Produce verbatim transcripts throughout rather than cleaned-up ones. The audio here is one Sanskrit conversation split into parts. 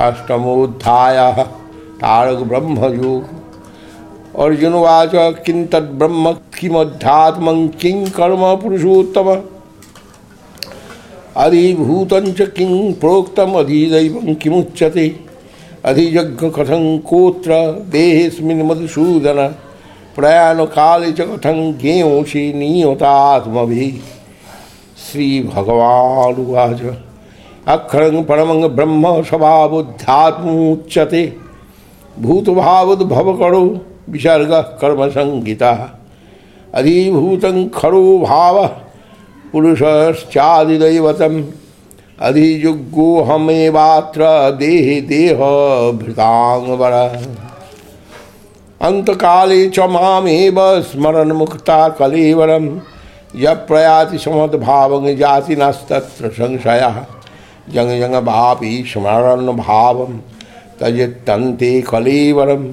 अष्टमोऽध्यायः तारक ब्रह्मयोग। अर्जुनवाच किं तद्ब्रह्म किमध्यात्मं किं कर्म पुरुषोत्तम अधिभूतं च किं प्रोक्तम् अधिदैवं किमुच्यते अधियज्ञ कथं कोत्र देहेऽस्मिन् मधुसूदन प्रयाणकाले च कथं ज्ञेयोषि नियतात्मभिः। श्रीभगवानुवाच अक्षरं परमं ब्रह्म स्वभावोऽध्यात्ममुच्यते भूतभावोद्भवकरो विसर्गः कर्मसंज्ञितः अधिभूतं खरो भावः पुरुषश्चादिदैवतम् अधियुग्योऽहमेवात्र देहे देहभृताङ्गवरः अन्तकाले च मामेव स्मरन् मुक्ता कलेवरं यः प्रयाति समद्भावं जाति नस्तत्र संशयः जंग जंग भापि स्मरन् भावं तजेत्तन्ते कलेवरं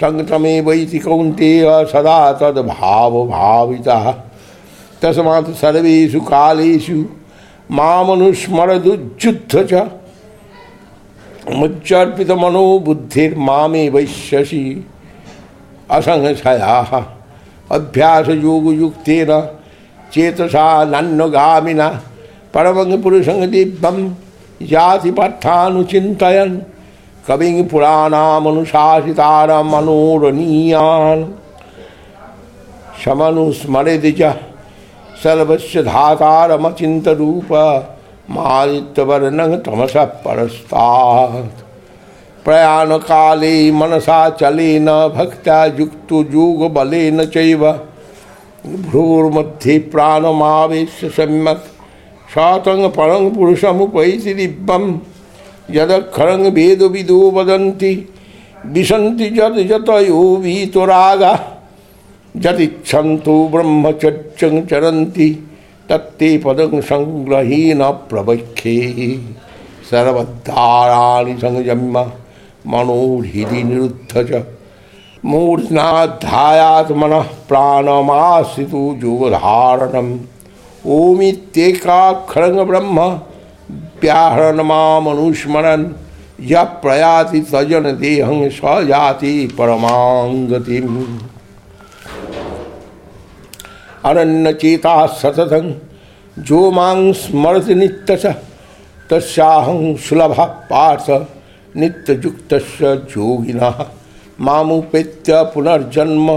तं तमेवैति कौन्तेय सदा तद्भावभावितः तस्मात् सर्वेषु कालेषु मामनुस्मरदुज्जुत्थ च मच्चर्पितमनो बुद्धिर्मामेवैष्यसि असंशयाः अभ्यासयोगयुक्तेन चेतसा नन्वगामिना परमं पुरुषं दिव्यं याति पार्थानुचिन्तयन् कविं पुराणामनुशासितारमनोरणीयान् समनुस्मरेति च सर्वस्य धातारमचिन्तरूप मादित्यवर्णं तमसः परस्तात् प्रयाणकाले मनसा चलेन भक्त्या युक्तो योगबलेन चैव भ्रूर्मध्ये प्राणमावेश्य सम्यक् सातं परं पुरुषमुपैति दिव्यं यदक्षरं वेदविदो वदन्ति विशन्ति यत् यतयो वीतरागः यदिच्छन्तो ब्रह्मचर्यं चरन्ति तत्ते पदं संग्रहेण प्रवक्ष्ये सर्वद्वाराणि संयम्य मनोहृदि निरुद्ध च मूर्ध्नाध्यायात्मनः प्राणमाश्रितो योगधारणम् ओमित्येकाक्षरं ब्रह्म व्याहरणमामनुस्मरन् यः प्रयाति सजन देहं स याति परमां गतिम् अनन्यचेताः सततं जो मां स्मरति नित्यशः तस्याहं सुलभः पार्थ नित्ययुक्तस्य योगिनः मामुपेत्य पुनर्जन्म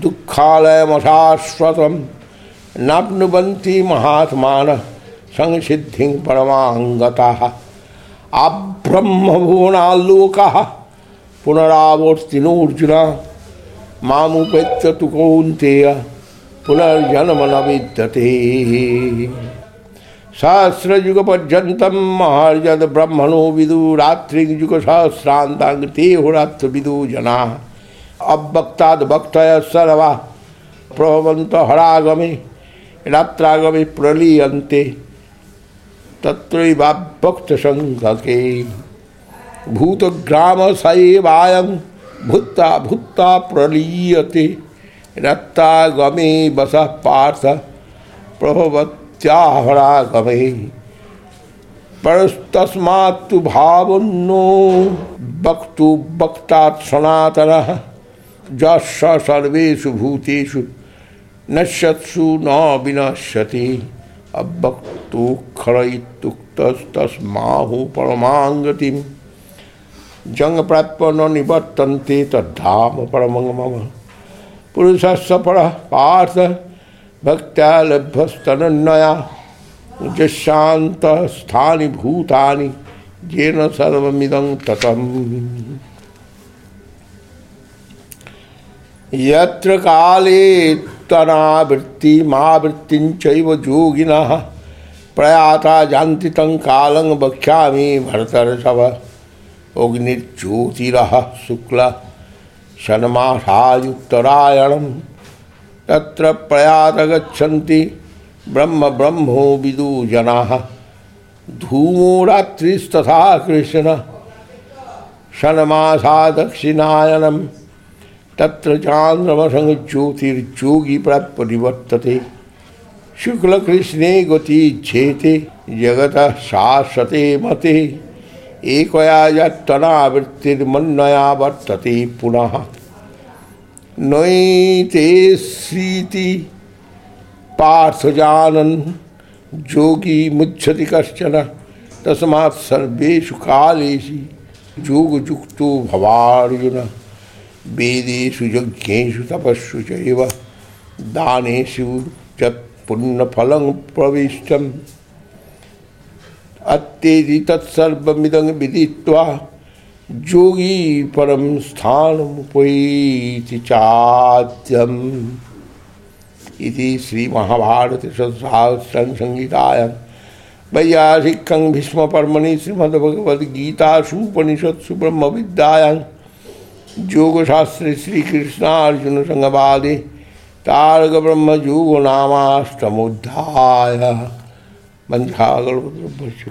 दुःखालयमशाश्वतं नाप्नुवन्ति महात्मानः संसिद्धिं परमां गताः आब्रह्मभुवनाल्लोकः पुनरावर्तिनोऽर्जुन मामुपेत्य तु कौन्तेय पुनर्जन्म न विद्यते सहस्रयुगपर्यन्तं महर्षद ब्रह्मणो विदु रात्रियुगसहस्रान्ताङ्ते होरात्रविदु जनाः अव्यक्ताद् भक्तयः सर्वा प्रभवन्तो हरागमे रात्रागमे प्रलीयन्ते तत्रैवाभक्तसङ्गके भूतग्राम स एवायं भूत्वा भूत्वा प्रलीयते रात्रागमे वसः पार्थ प्रभवत्याहरागमे परस्तस्मात्तु भावन्नो वक्तु वक्तात् सनातनः यस्य सर्वेषु भूतेषु नश्यत्सु न विनश्यति अव्यक्तोऽक्षर इत्युक्तस्तस्माहु परमां गतिम् जंग प्राप्य न निवर्तन्ते तद्धाम परमं मम पुरुषस्य परः पार्थ भक्त्या लभ्यस्तनन्यया यस्यान्तःस्थानि भूतानि येन सर्वमिदं ततम् यत्र काले तनावृत्तिमावृत्तिं चैव योगिनः प्रयाता जानति तं कालं वक्ष्यामि भरतर्षभ अग्निर्ज्योतिरः शुक्लः षण्मासायुक्तरायणं तत्र प्रयात गच्छन्ति ब्रह्म ब्रह्मो विदु जनाः धूमो रात्रिस्तथा कृष्ण षण्मासा दक्षिणायनं तत्र चान्द्रमसं ज्योतिर्योगी प्राप्य निवर्तते शुक्लकृष्णे गति झेते जगतः शाश्वते मते एकया यत्तनावृत्तिर्मन्नया वर्तते पुनः नैते श्रीति पार्थ जानन् योगी मुच्यति कश्चन तस्मात् सर्वेषु कालेषु योगयुक्तो भवार्जुन वेदेषु यज्ञेषु तपस्सु चैव दानेषु च पुण्यफलं प्रविष्टम् अत्येति तत्सर्वमिदं विदित्वा योगी परम स्थानमुपैति चाद्यम् इति श्री महाभारते षट्सहस्रं संहितायां वैयासिकं भीष्मपर्वणि श्रीमद्भगवद्गीतासु उपनिषत्सु ब्रह्मविद्यायां योगशास्त्रे श्रीकृष्णार्जुन संवादे तारक ब्रह्म योग नामाष्टमोऽध्यायः वंशागलभ्य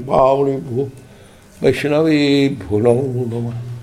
पावने भो वैष्णवे भो नमो नमः।